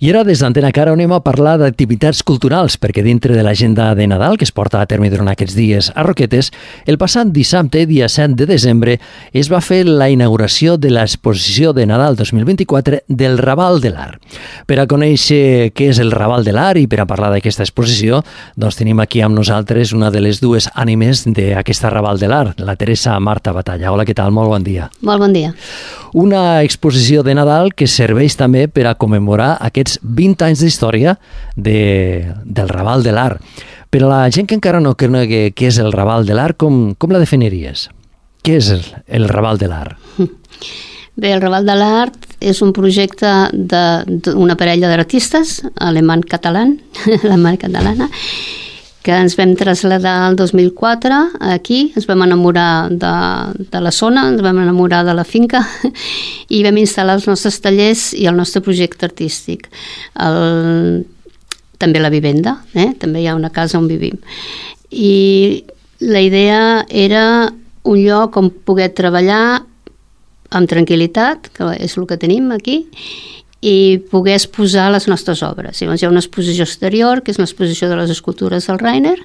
I ara des d'Antena Caro anem a parlar d'activitats culturals, perquè dintre de l'agenda de Nadal que es porta a terme durant aquests dies a Roquetes, el passat dissabte, dia 7 de desembre, es va fer la inauguració de l'exposició de Nadal 2024 del Raval de l'Art. Per a conèixer què és el Raval de l'Art i per a parlar d'aquesta exposició, doncs tenim aquí amb nosaltres una de les dues ànimes d'aquesta Raval de l'Art, la Teresa Marta Batalla. Hola, què tal? Molt bon dia. Molt bon dia. Una exposició de Nadal que serveix també per a commemorar aquests 20 anys d'història del Raval de l'Art. Per a la gent que encara no conegui què és el Raval de l'Art, com la definiries? Què és el Raval de l'Art? Bé, el Raval de l'Art és un projecte d'una parella d'artistes, alemany-catalana, que ens vam traslladar el 2004 aquí, ens vam enamorar de la zona, ens vam enamorar de la finca i vam instal·lar els nostres tallers i el nostre projecte artístic. També la vivenda, també hi ha una casa on vivim. I la idea era un lloc on poder treballar amb tranquil·litat, que és el que tenim aquí, i poder exposar les nostres obres. Llavors hi ha una exposició exterior, que és l'exposició de les escultures del Rainer,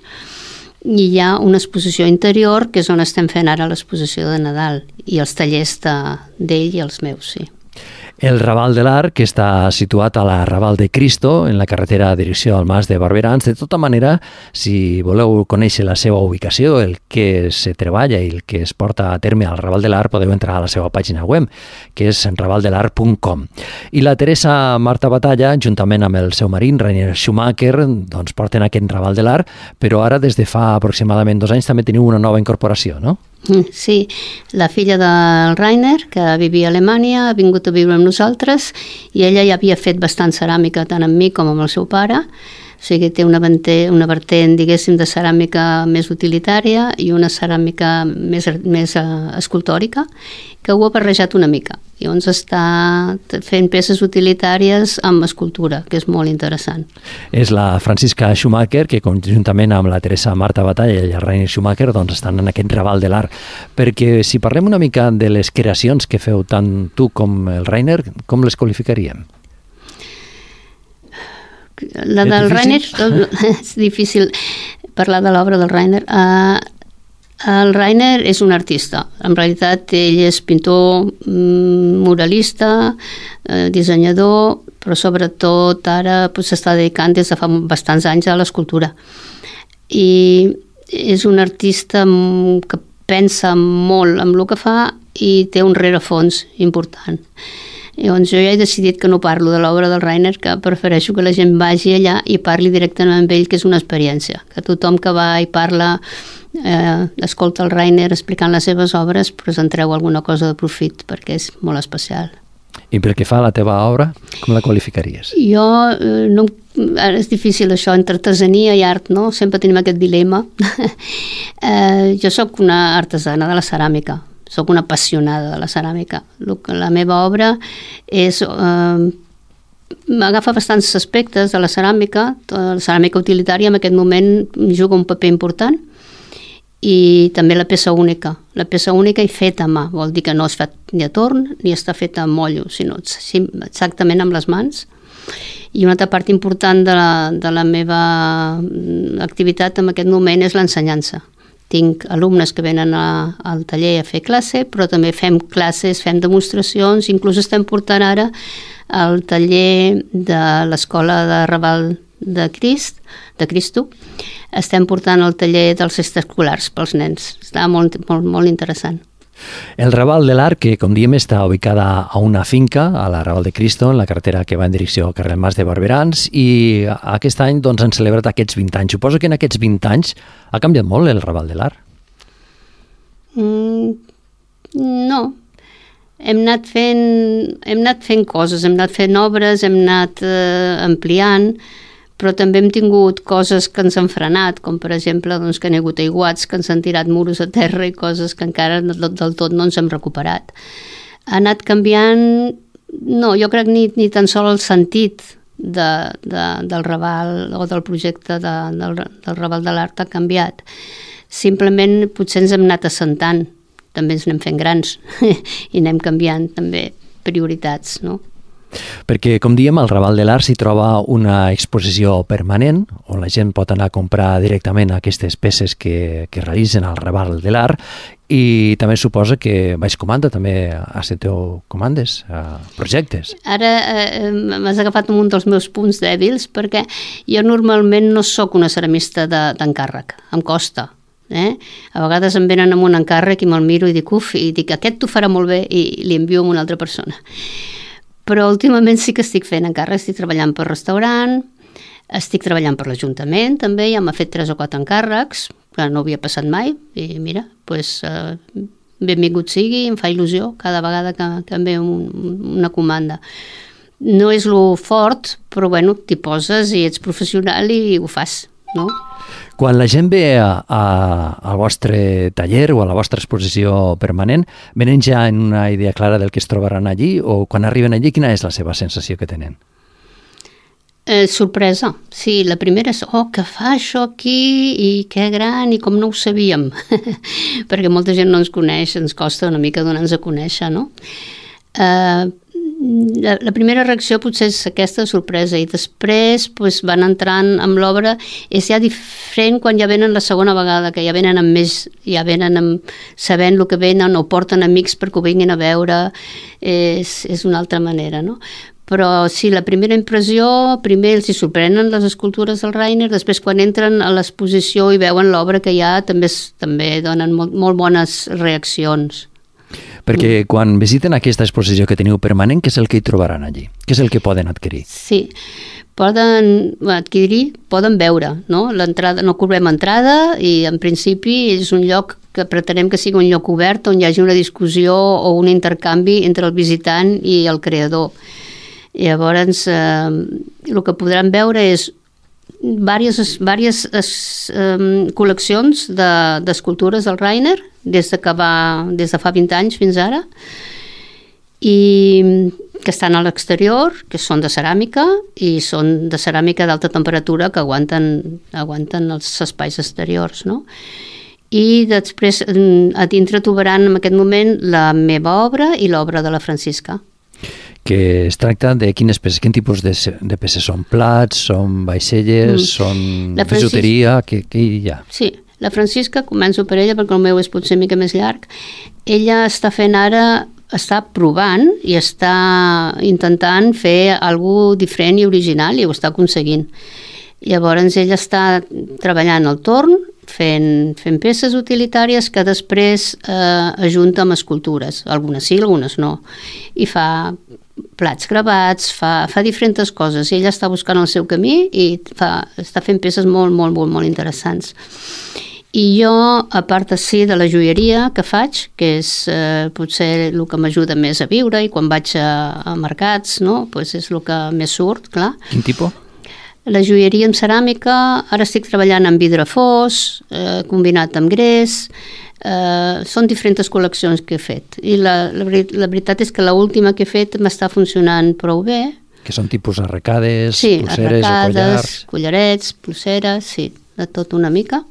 i hi ha una exposició interior, que és on estem fent ara l'exposició de Nadal, i els tallers d'ell i els meus, sí. El Raval de l'Art, que està situat a la Raval de Cristo, en la carretera de direcció al Mas de Barberans. De tota manera, si voleu conèixer la seva ubicació, el que se treballa i el que es porta a terme al Raval de l'Art, podeu entrar a la seva pàgina web, que és ravaldelart.com. I la Teresa Marta Batalla, juntament amb el seu marit, Rainer Schumacher, doncs porten aquest Raval de l'Art, però ara des de fa aproximadament 2 anys també teniu una nova incorporació, no? Sí, la filla del Rainer, que vivia a Alemanya, ha vingut a viure amb nosaltres i ella ja havia fet bastant ceràmica tant amb mi com amb el seu pare, o sigui, té una vertent, diguéssim, de ceràmica més utilitària i una ceràmica més escultòrica, que ho ha barrejat una mica. Llavors està fent peces utilitàries amb escultura, que és molt interessant. És la Francisca Schumacher, que conjuntament amb la Teresa Marta Batalla i el Rainer Schumacher doncs estan en aquest Raval de l'Art. Perquè si parlem una mica de les creacions que feu tant tu com el Rainer, com les qualificaríem? La del Rainer és difícil parlar de l'obra del Rainer. El Rainer és un artista. En realitat ell és pintor, muralista, dissenyador, però sobretot ara s'està dedicant des de fa bastants anys a l'escultura. I és un artista que pensa molt en el que fa i té un rerefons important. Llavors jo ja he decidit que no parlo de l'obra del Rainer, que prefereixo que la gent vagi allà i parli directament amb ell, que és una experiència. Que tothom que va i parla, escolta el Rainer explicant les seves obres, però se'n treu alguna cosa de profit, perquè és molt especial. I pel que fa a la teva obra, com la qualificaries? Jo, ara és difícil això, entre artesania i art, no? Sempre tenim aquest dilema. Jo sóc una artesana de la ceràmica, sóc una apassionada de la ceràmica. La meva obra m'agafa bastants aspectes de la ceràmica utilitària en aquest moment juga un paper important, i també la peça única. La peça única i feta a mà, vol dir que no és fet ni a torn ni està feta a mollo, sinó exactament amb les mans. I una altra part important de la meva activitat en aquest moment és l'ensenyança. Tinc alumnes que venen al taller a fer classe, però també fem classes, fem demostracions, inclús estem portant ara al taller de l'Escola de Raval de Cristo, estem portant el taller dels extraescolars pels nens. Està molt, molt, molt interessant. El Raval de l'Art, que com diem està ubicada a una finca, a la Raval de Cristo, en la carretera que va en direcció al carrer Mas de Barberans, i aquest any doncs, han celebrat aquests 20 anys. Suposo que en aquests 20 anys ha canviat molt el Raval de l'Art. No. Hem anat fent coses, hem anat fent obres, hem anat ampliant, però també hem tingut coses que ens han frenat, com per exemple que n'hi ha hagut aiguats, que ens han tirat muros a terra i coses que encara del tot no ens hem recuperat. Ha anat canviant, no, jo crec ni tan sols el sentit del Raval o del projecte del Raval de l'Art ha canviat. Simplement potser ens hem anat assentant, també ens anem fent grans i anem canviant també prioritats, no? Perquè, com diem, al Raval de l'Art s'hi troba una exposició permanent on la gent pot anar a comprar directament aquestes peces que realitzen al Raval de l'Art i també suposa que Baix Comanda també accepteu comandes, projectes. Ara m'has agafat un dels meus punts dèbils perquè jo normalment no sóc una ceramista d'encàrrec, em costa. A vegades em venen amb un encàrrec i me'l miro i dic, aquest t'ho farà molt bé i li envio a una altra persona. Però últimament sí que estic fent encàrrecs, estic treballant per restaurant, estic treballant per l'Ajuntament també, ja m'ha fet 3 o 4 encàrrecs, que no havia passat mai, i mira, benvingut sigui, em fa il·lusió cada vegada que em ve una comanda. No és lo fort, però bueno, t'hi poses i ets professional i ho fas, no? Quan la gent ve al vostre taller o a la vostra exposició permanent, venen ja en una idea clara del que es trobaran allí o quan arriben allí, quina és la seva sensació que tenen? Sorpresa. Sí, la primera és, què fa això aquí i que gran i com no ho sabíem. Perquè molta gent no ens coneix, ens costa una mica donar-nos a conèixer, no? La primera reacció potser és aquesta sorpresa i després van entrant amb l'obra. És ja diferent quan ja venen la segona vegada, que ja venen amb més, ja venen sabent el que venen o porten amics perquè ho vinguin a veure. És una altra manera, no? Però sí, la primera impressió, primer els hi sorprenen les escultures del Rainer, després quan entren a l'exposició i veuen l'obra que hi ha també donen molt bones reaccions. Perquè quan visiten aquesta exposició que teniu permanent, què és el que hi trobaran allí? Què és el que poden adquirir? Sí, poden adquirir, poden veure, no? L'entrada, no cobrem entrada i en principi és un lloc que pretenem que sigui un lloc obert on hi hagi una discussió o un intercanvi entre el visitant i el creador. Llavors, el que podran veure és diverses col·leccions d'escultures del Rainer des de fa 20 anys fins ara i que estan a l'exterior, que són de ceràmica i són de ceràmica d'alta temperatura que aguanten els espais exteriors, no? I després a dintre trobaran en aquest moment la meva obra i l'obra de la Francisca. Que es tracta de quines peces, quin tipus de peces són? Plats, són vaixelles, són bijuteria, què hi ha? Sí, la Francisca, començo per ella perquè el meu és potser una mica més llarg. Ella està provant i està intentant fer alguna cosa diferent i original i ho està aconseguint. Llavors ella està treballant al torn, fent peces utilitàries que després ajunta amb escultures, algunes sí, algunes no, i fa plats gravats, fa diferents coses, i ella està buscant el seu camí i està fent peces molt, molt, molt, molt interessants. I jo, a part de la joieria que faig, que és potser el que m'ajuda més a viure, i quan vaig a mercats, no? Pues és el que més surt, clar. Quin tipus? La joieria en ceràmica, ara estic treballant amb vidre fos, combinat amb gres, són diferents col·leccions que he fet. I la veritat és que l'última que he fet m'està funcionant prou bé. Que són tipus arracades, sí, pulseres o collars? Sí, collarets, pulseres, sí, de tot una mica.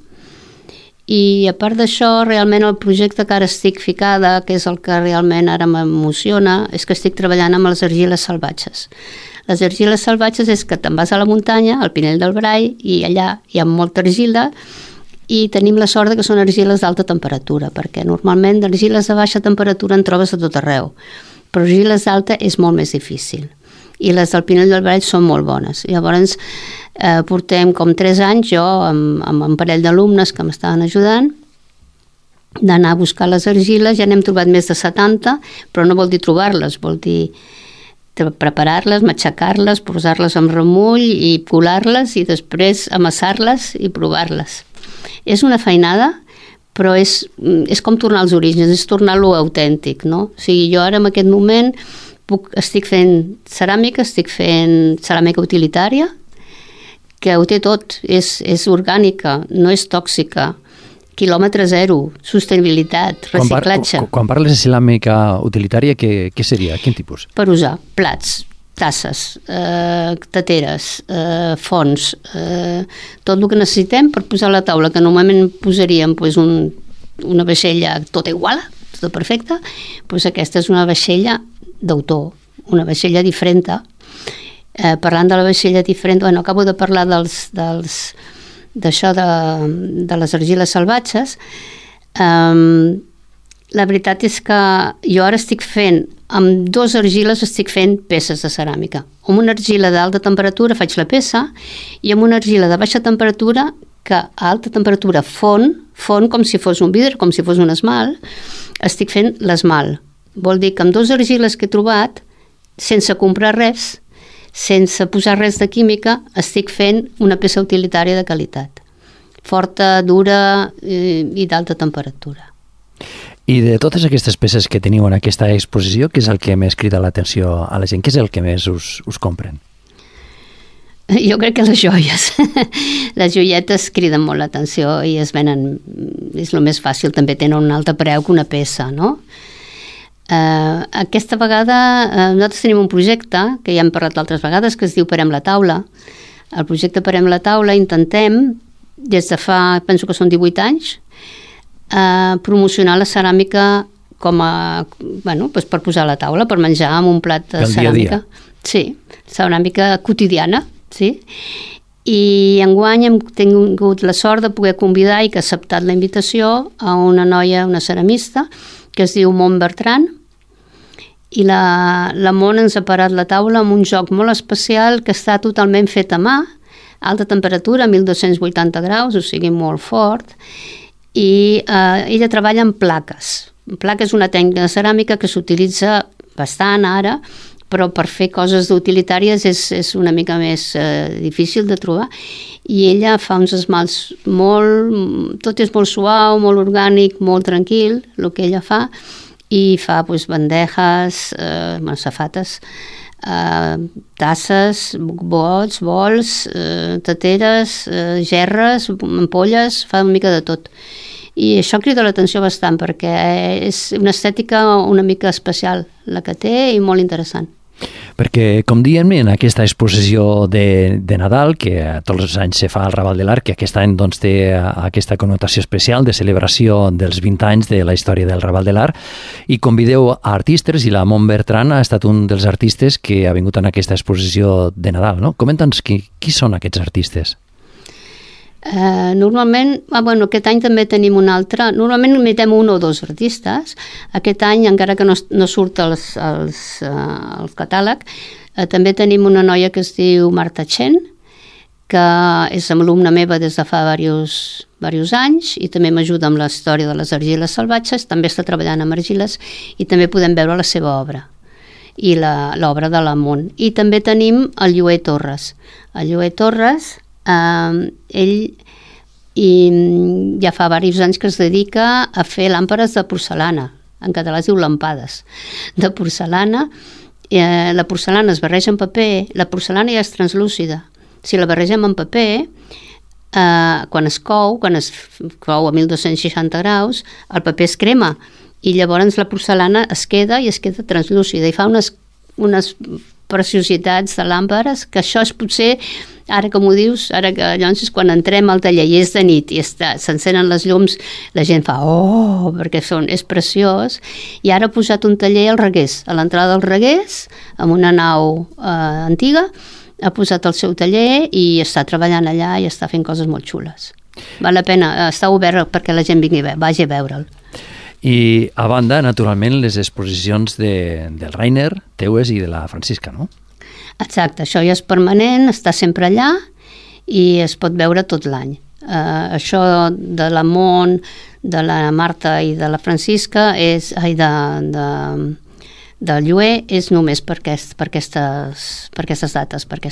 I a part d'això, realment el projecte que ara estic ficada, que és el que realment ara m'emociona, és que estic treballant amb les argiles salvatges. Les argiles salvatges és que te'n vas a la muntanya, al Pinell del Brai, i allà hi ha molta argila, i tenim la sort que són argiles d'alta temperatura, perquè normalment d'argiles de baixa temperatura en trobes a tot arreu, però argiles d'alta és molt més difícil. I les del Pinell del Brai són molt bones. Llavors, portem com 3 anys, jo amb un parell d'alumnes que m'estaven ajudant, d'anar a buscar les argiles, ja n'hem trobat més de 70, però no vol dir trobar-les, vol dir preparar-les, matxacar-les, posar-les amb remull i colar-les i després amassar-les i provar-les. És una feinada, però és com tornar als orígens, és tornar-lo autèntic, no? O sigui, jo ara en aquest moment estic fent ceràmica, estic fent ceràmica utilitària, que ho té tot, és orgànica, no és tòxica, quilòmetre zero, sostenibilitat, reciclatge. Quan parles de ceràmica utilitària, què seria? Quin tipus? Per usar plats, tasses, teteres, fons, tot el que necessitem per posar a la taula, que normalment posaríem una vaixella tota igual, tota perfecta, aquesta és una vaixella d'autor, una vaixella diferent. Parlant de la vaixella diferent, bueno, acabo de parlar d'això de les argiles salvatges. La veritat és que jo ara estic fent, amb 2 argiles estic fent peces de ceràmica. Amb una argila d'alta temperatura faig la peça i amb una argila de baixa temperatura que a alta temperatura fon com si fos un vidre, com si fos un esmalt, estic fent l'esmalt. Vol dir que amb 2 argiles que he trobat, sense comprar res, sense posar res de química, estic fent una peça utilitària de qualitat. Forta, dura i d'alta temperatura. I de totes aquestes peces que teniu en aquesta exposició, què és el que més crida l'atenció a la gent? Què és el que més us compren? Jo crec que les joies. Les joietes criden molt l'atenció i es venen, és el més fàcil, també tenen un altre preu que una peça, no? Aquesta vegada nosaltres tenim un projecte, que ja hem parlat altres vegades, que es diu Parem la taula. El projecte Parem la taula intentem, des de fa, penso que són 18 anys, promocionar la ceràmica com a, doncs per posar a la taula, per menjar amb un plat de ceràmica. Sí, ceràmica quotidiana, sí. I enguany hem tingut la sort de poder convidar i que ha acceptat la invitació a una noia, una ceramista, que es diu Mont Bertran, i la Mont ens ha parat la taula amb un joc molt especial que està totalment fet a mà, alta temperatura, 1280 graus, o sigui molt fort, i ella treballa amb plaques. Placa és una tècnica de ceràmica que s'utilitza bastant ara, però per fer coses utilitàries és una mica més difícil de trobar, i ella fa uns esmalts tot és molt suau, molt orgànic, molt tranquil, el que ella fa, i fa bandejes, safates, tasses, bols, teteres, gerres, ampolles, fa una mica de tot. I això crida l'atenció bastant perquè és una estètica una mica especial la que té i molt interessant. Perquè, com diem, en aquesta exposició de Nadal, que tots els anys se fa al Raval de l'Arc, que aquest any doncs, té aquesta connotació especial de celebració dels 20 anys de la història del Raval de l'Arc, i convideu a artistes, i la Mont Bertran ha estat un dels artistes que ha vingut en aquesta exposició de Nadal, no? Comenta'ns qui són aquests artistes. Normalment, aquest any també tenim un altre, normalment invitem 1 o 2 artistes. Aquest any, encara que no surt al catàleg, també tenim una noia que es diu Marta Chen, que és alumna meva des de fa diversos anys i també m'ajuda amb la història de les argiles salvatges, també està treballant amb argiles i també podem veure la seva obra i l'obra de la Mont. I també tenim el Llué Torres. El Llué Torres, ell ja fa diversos anys que es dedica a fer làmpades de porcelana, en català es diu lampades de porcelana. La porcelana es barreja amb paper, la porcelana ja és translúcida, si la barregem amb paper, quan es cou a 1260 graus, el paper es crema i llavors la porcelana es queda translúcida i fa unes preciositats de làmpades, que això és potser, ara com ho dius, ara que llavors és quan entrem al taller i és de nit i s'encenen les llums, la gent fa oh, perquè és preciós. I ara ha posat un taller al Reguers, a l'entrada del Reguers, amb una nau antiga, ha posat el seu taller i està treballant allà i està fent coses molt xules. Val la pena, està obert perquè la gent vagi a veure'l. I a banda, naturalment, les exposicions del Rainer, teues i de la Francisca, no? Exacte, això ja és permanent, està sempre allà i es pot veure tot l'any. Això de la Mont, de la Marta i de la Francisca, del Llué, és només per aquestes dates, que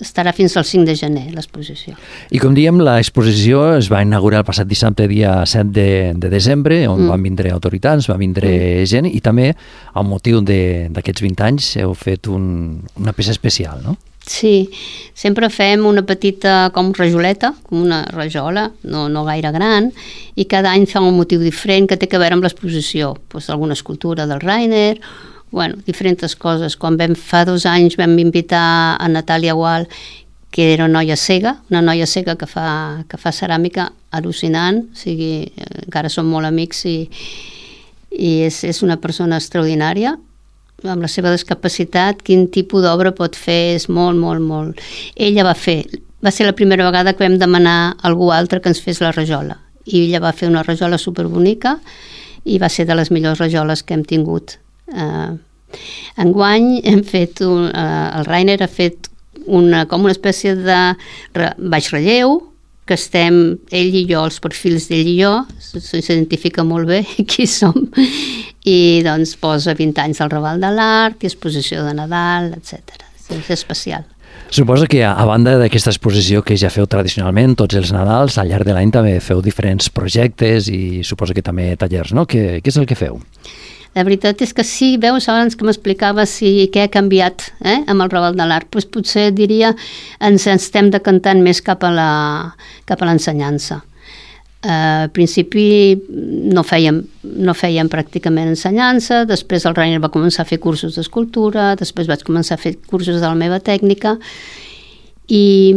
estarà fins al 5 de gener l'exposició. I com diem, l'exposició es va inaugurar el passat dissabte, dia 7 de desembre, on van vindre autoritats, va vindre gent, i també, amb motiu d'aquests 20 anys, heu fet una peça especial, no? Sí, sempre fem una petita com rajoleta, com una rajola, no gaire gran, i cada any fa un motiu diferent que té a veure amb l'exposició. Alguna escultura del Rainer, diferents coses. Fa 2 anys vam invitar a Natàlia Gual, que era una noia cega que fa ceràmica al·lucinant, o sigui, encara som molt amics i és una persona extraordinària. amb la seva discapacitat, quin tipus d'obra pot fer, és molt, molt, molt. Ella va ser la primera vegada que vam demanar a algú altre que ens fes la rajola, i ella va fer una rajola superbonica i va ser de les millors rajoles que hem tingut. Enguany hem fet, el Rainer ha fet com una espècie de baix relleu, que estem, ell i jo, els perfils d'ell i jo, s'identifica molt bé qui som, i doncs posa 20 anys al Raval de l'Art, i exposició de Nadal, etc. És especial. Suposo que a banda d'aquesta exposició que ja feu tradicionalment tots els Nadals, al llarg de l'any també feu diferents projectes i suposo que també tallers, no? Què és el que feu? La veritat és que sí, veus, abans que m'explicaves què ha canviat amb el Raval de l'Art, doncs potser diria ens estem decantant més cap a l'ensenyança. Al principi no fèiem pràcticament ensenyança, després el Rainer va començar a fer cursos d'escultura, després vaig començar a fer cursos de la meva tècnica, i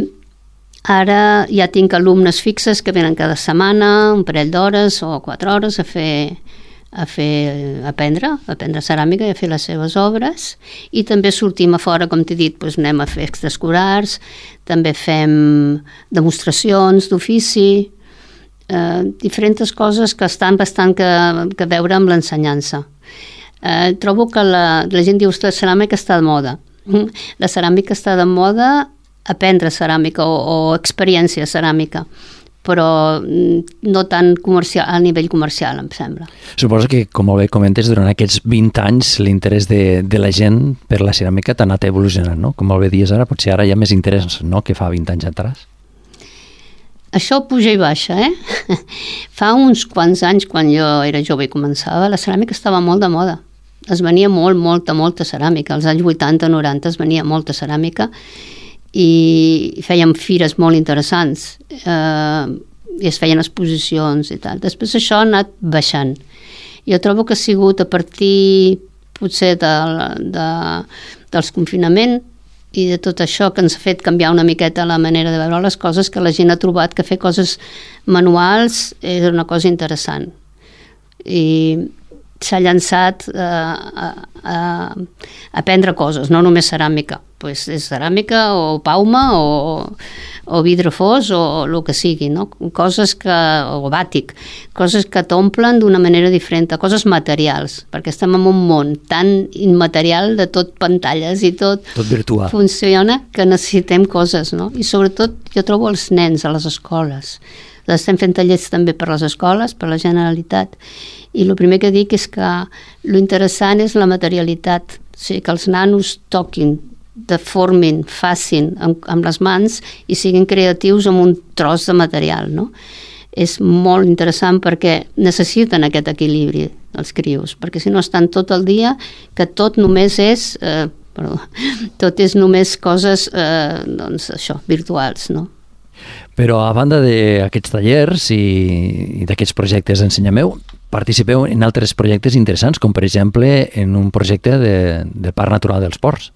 ara ja tinc alumnes fixes que venen cada setmana, un parell d'hores o 4 hores a aprendre ceràmica i a fer les seves obres, i també sortim a fora, com t'he dit, doncs anem a fer extraescolars, també fem demostracions d'ofici, diferents coses que estan bastant que veure amb l'ensenyança. Trobo que la gent diu que la ceràmica està de moda. La ceràmica està de moda, aprendre ceràmica o experiència ceràmica, però no tan comercial, a nivell comercial, em sembla. Suposo que, com molt bé comentes, durant aquests 20 anys l'interès de la gent per la ceràmica t'ha anat evolucionant, no? Com molt bé dius ara, potser ara hi ha més interès, no?, que fa 20 anys atrás. Això puja i baixa, Fa uns quants anys, quan jo era jove i començava, la ceràmica estava molt de moda. Es venia molta ceràmica. Als anys 80-90 es venia molta ceràmica i fèiem fires molt interessants i es feien exposicions i tal. Després això ha anat baixant. Jo trobo que ha sigut a partir potser dels confinaments i de tot això que ens ha fet canviar una miqueta la manera de veure les coses, que la gent ha trobat que fer coses manuals és una cosa interessant. I s'ha llançat a aprendre coses, no només ceràmica. Pues és ceràmica o pauma o vidre fos o el que sigui, no? Coses o bàtic, coses que t'omplen d'una manera diferent, coses materials, perquè estem en un món tan immaterial de tot pantalles i tot virtual. Funciona que necessitem coses, no? I sobretot jo trobo els nens a les escoles. Estem fent tallers també per les escoles, per la Generalitat, i el primer que dic és que lo interessant és la materialitat, o sigui, que els nanos toquin, deformin, facin amb les mans i siguin creatius amb un tros de material, no? És molt interessant perquè necessiten aquest equilibri els crios, perquè si no estan tot el dia que tot només és tot és només coses doncs això, virtuals, no? Però a banda d'aquests tallers i d'aquests projectes d'Ensenyameu, participeu en altres projectes interessants, com per exemple en un projecte de Parc Natural dels Ports.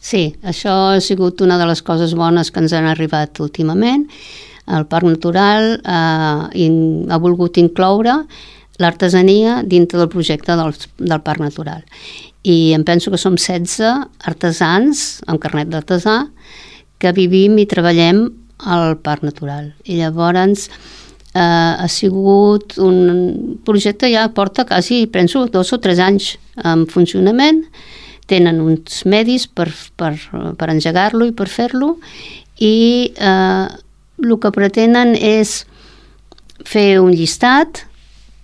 Sí, això ha sigut una de les coses bones que ens han arribat últimament. El Parc Natural ha volgut incloure l'artesania dintre del projecte del Parc Natural. I em penso que som 16 artesans amb carnet d'artesà que vivim i treballem al Parc Natural. I llavors ha sigut un projecte, ja porta quasi, penso, 2 o 3 anys en funcionament. Tenen uns medis per engegar-lo i per fer-lo, i el que pretenen és fer un llistat,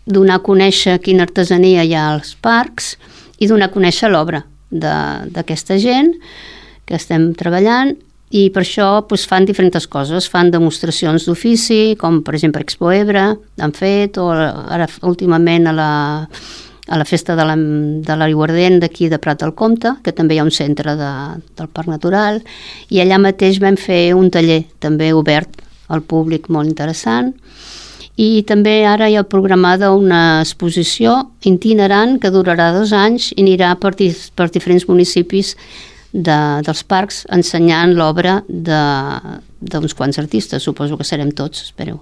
donar a conèixer quina artesania hi ha als parcs i donar a conèixer l'obra d'aquesta gent que estem treballant, i per això fan diferents coses, fan demostracions d'ofici, com per exemple Expo Ebre han fet, o ara últimament a la festa de l'Aiguardent d'aquí de Prat del Comte, que també hi ha un centre del Parc Natural, i allà mateix vam fer un taller també obert al públic molt interessant, i també ara hi ha programada una exposició itinerant que durarà 2 anys i anirà per diferents municipis dels parcs ensenyant l'obra d'uns quants artistes, suposo que serem tots, espereu.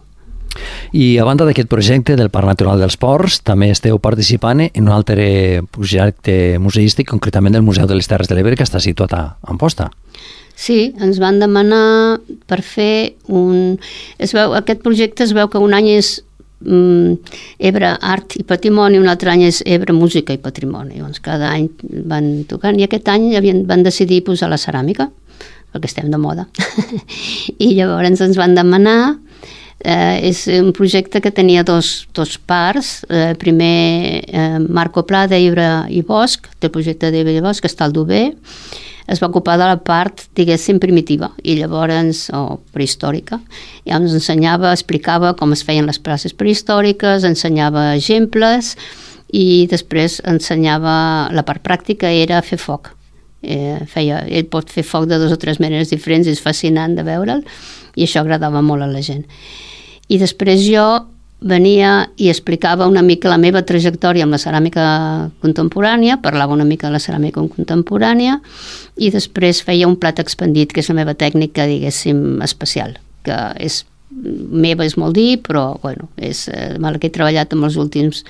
I a banda d'aquest projecte del Parc Natural dels Ports, també esteu participant en un altre projecte museístic, concretament del Museu de les Terres de l'Ebre, que està situat a Amposta. Sí, ens van demanar per fer aquest projecte es veu que un any és Ebre Art i Patrimoni, un altre any és Ebre Música i Patrimoni. Llavors cada any van tocant i aquest any van decidir posar la ceràmica, perquè estem de moda. I llavors ens van demanar, és un projecte que tenia dos parts. Primer Marco Pla d'Ebre i Bosch, el projecte d'Ebre i Bosch, que està al Dover, es va ocupar de la part, diguéssim, primitiva i llavors, o prehistòrica. Ja ens ensenyava, explicava com es feien les places prehistòriques, ensenyava exemples i després ensenyava la part pràctica, era fer foc. Ell pot fer foc de 2 o 3 maneres diferents, és fascinant de veure'l i això agradava molt a la gent. I després jo venia i explicava una mica la meva trajectòria amb la ceràmica contemporània, parlava una mica de la ceràmica contemporània i després feia un plat expandit, que és la meva tècnica, diguéssim, especial, que és meva, és molt dir, però bueno, és la que he treballat en els últims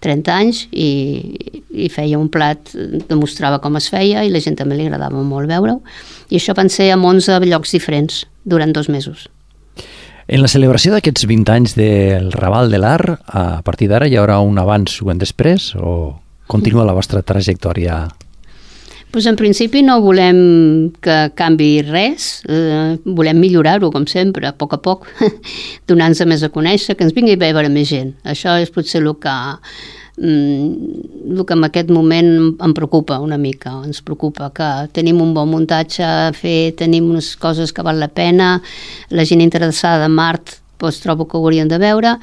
30 anys i feia un plat, demostrava com es feia i la gent també li agradava molt veure-ho. I això van ser en 11 llocs diferents durant 2 mesos. En la celebració d'aquests 20 anys del Raval de l'Art, a partir d'ara hi haurà un abans o un després o continua la vostra trajectòria? Pues en principi no volem que canvi res, volem millorar-ho com sempre, a poc, donant-nos més a conèixer, que ens vingui a veure més gent. Això és potser el que en aquest moment em preocupa una mica. Ens preocupa que tenim un bon muntatge a fer, tenim unes coses que val la pena, la gent interessada en art doncs trobo que ho haurien de veure,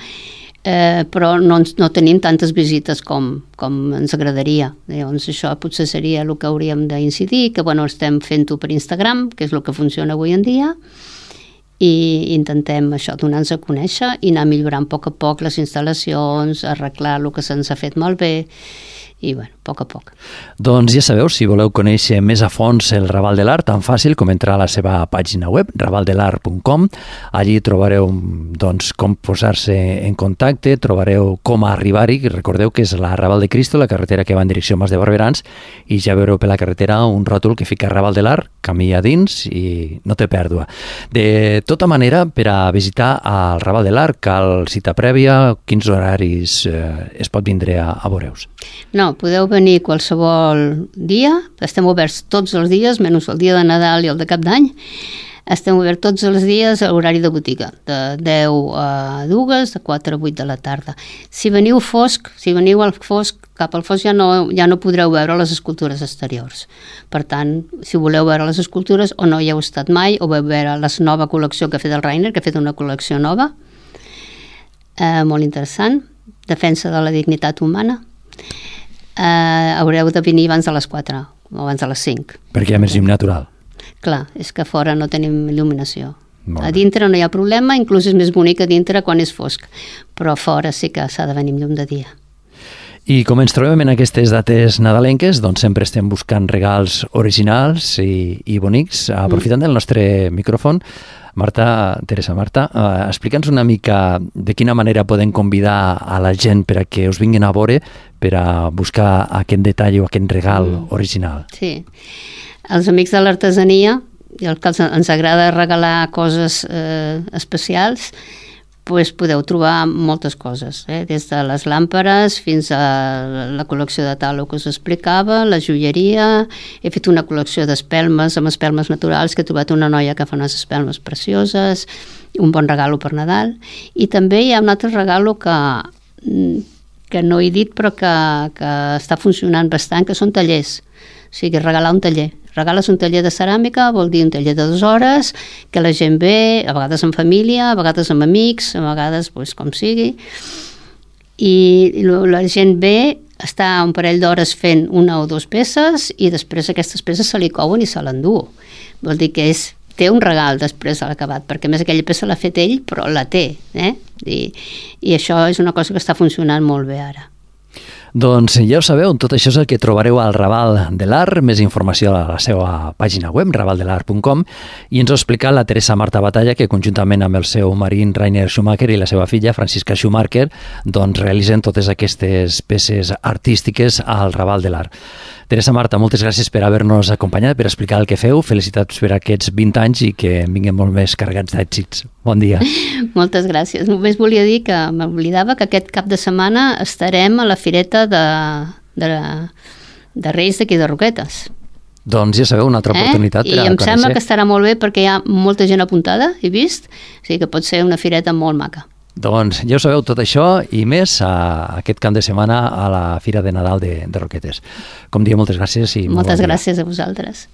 però no tenim tantes visites com ens agradaria. Llavors això potser seria el que hauríem d'incidir, que bueno, estem fent-ho per Instagram, que és el que funciona avui en dia, i intentem això, donar-nos a conèixer i anar millorant a poc les instal·lacions, arreglar el que se'ns ha fet malbé i bueno, a poc. Doncs ja sabeu, si voleu conèixer més a fons el Raval de l'Art, tan fàcil com entrar a la seva pàgina web, ravaldelart.com. Allí trobareu doncs, com posar-se en contacte, trobareu com arribar-hi. Recordeu que és la Raval de Cristo, la carretera que va en direcció a Mas de Barberans, i ja veureu per la carretera un ròtol que fica Raval de l'Art, camí a dins i no té pèrdua. De tota manera, per a visitar el Raval de l'Art cal cita prèvia, quins horaris es pot vindre a veure-us? No, podeu venir qualsevol dia, estem oberts tots els dies, menys el dia de Nadal i el de Cap d'Any. Estem oberts tots els dies a l'horari de botiga, de 10 a 2, de 4 a 8 de la tarda. Si veniu al fosc, cap al fosc ja no podreu veure les escultures exteriors. Per tant, si voleu veure les escultures o no hi heu estat mai, o veu veure la nova col·lecció que ha fet el Rainer, que ha fet una col·lecció nova, molt interessant, defensa de la dignitat humana, haureu de venir abans de les 4 o abans de les 5. Perquè hi ha més llum natural. Clar, és que a fora no tenim il·luminació. A dintre no hi ha problema, inclús és més bonic a dintre quan és fosc, però a fora sí que s'ha de venir amb llum de dia. I com ens trobem en aquestes dates nadalenques, doncs sempre estem buscant regals originals i bonics. Aprofitant del nostre micròfon, Teresa Marta, explica'ns una mica de quina manera podem convidar a la gent per a que us vinguin a veure per a buscar aquest detall o aquest regal original. Sí, els amics de l'artesania, i el que ens agrada regalar coses especials, doncs podeu trobar moltes coses, des de les làmperes fins a la col·lecció de talo que us explicava, la joieria. He fet una col·lecció d'espelmes, amb espelmes naturals, que he trobat una noia que fa unes espelmes precioses, un bon regalo per Nadal. I també hi ha un altre regalo que no he dit però que està funcionant bastant, que són tallers. O sigui, regalar un taller. Regales un taller de ceràmica, vol dir un taller de 2 hores, que la gent ve, a vegades en família, a vegades amb amics, a vegades doncs, com sigui, i la gent ve, està un parell d'hores fent 1 o 2 peces i després aquestes peces se li couen i se l'endú. Vol dir que té un regal després de l'acabat, perquè a més aquella peça l'ha fet ell, però la té, I això és una cosa que està funcionant molt bé ara. Doncs ja ho sabeu, tot això és el que trobareu al Raval de l'Art, més informació a la seva pàgina web, ravaldelart.com, i ens ho explica la Teresa Marta Batalla, que conjuntament amb el seu marit Rainer Schumacher i la seva filla Francisca Schumacher doncs realitzen totes aquestes peces artístiques al Raval de l'Art. Teresa Marta, moltes gràcies per haver-nos acompanyat, per explicar el que feu. Felicitats per aquests 20 anys i que vinguem molt més carregats d'èxits. Bon dia. Moltes gràcies. Només volia dir que m'oblidava que aquest cap de setmana estarem a la fireta de Reis d'aquí de Roquetes. Doncs ja sabeu, una altra oportunitat per a conèixer. I em sembla que estarà molt bé perquè hi ha molta gent apuntada, he vist, o sigui que pot ser una fireta molt maca. Doncs ja ho sabeu, tot això i més aquest cap de setmana a la Fira de Nadal de Roquetes. Com dia, moltes gràcies i moltes gràcies a vosaltres.